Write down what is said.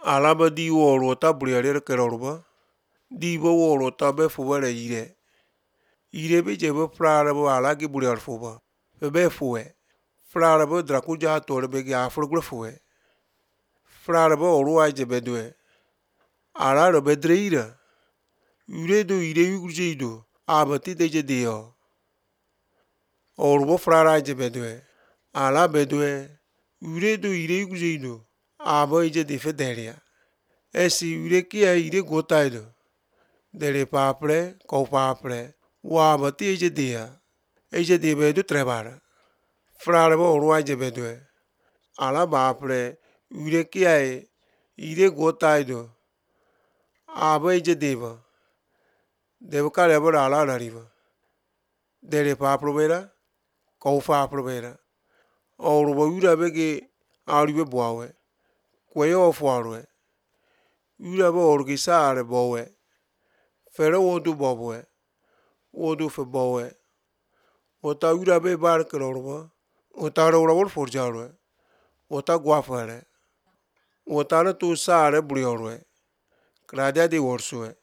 Alaba di woro ta briare keroba. Di bo woro ta be fuere ire. Ire be je be frara bo ala ki briar fuba. Be fue. Frara bo drakuja tore be ga afro fue. Frara bo oruai je bedwe. Ala ro bedreira. Ure do ire yujido. Abati de je dio. Orbo frara je bedwe. Ala bedwe. Ure do ire yujido. Abo je de federia. Esi ure ki a ire gotaido. Dere papre, ko papre. Wabati je dia. Eje de bedu trebara. Frara bo oruai je bedwe. Ala bapre. Ure ki a ire gotaido. Abo je deva. Devo calebor ala arriba. Dere papro vera. Ko papro vera. Orbo ura bege aribe boawe. Kweo fuarwe. Ura bo orgisare bowe. Fere wodu bowe. Wodu fe bowe. Ota ura be bar kerorba. Ota ro forjarwe. Ota guafare. Ota na tu sare briorwe. Kradia di worsue.